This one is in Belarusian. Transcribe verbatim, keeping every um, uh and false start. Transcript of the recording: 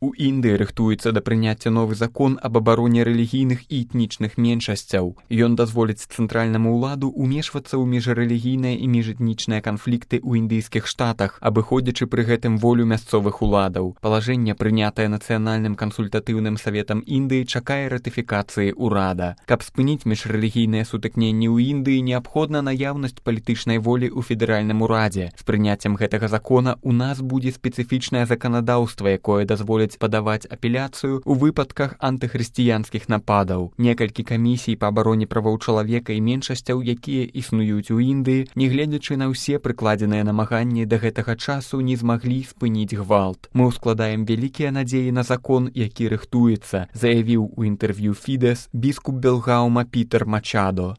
У Індыі рыхтуецца да прыняцця новы закон аб абароне рэлігійных і этнічных меншасцяў. Ён дазволіць цэнтральнаму ўладу ўмешвацца ў міжрэлігійныя і міжэтнічныя канфлікты ў індыйскіх штатах, абыходзячы пры гэтым волю мясцовых уладаў. Палажэнне, прынятае Нацыянальным кансультатыўным саветам Індыі, чакае ратыфікацыі ўрада. Каб спыніць міжрэлігійныя сутыкненні ў Індыі, неабходна наяўнасць палітычнай волі ў федэральным урадзе. З прыняццем гэтага закона у нас будзе спецыфічнае заканадаўства, якое дазволіць падаваць апеляцыю ў выпадках антыхрысціянскіх нападаў. Некалькі камісій па абароне правоў чалавека і меншасцяў, якія існуюць у Індыі, нягледзячы на ўсе прыкладзеныя намаганні да гэтага часу, не змаглі спыніць гвалт. Мы ўскладаем вялікія надзеі на закон, які рыхтуецца, заявіў у інтэрв'ю Фідэс біскуп Белгаума Пітер Мачадо.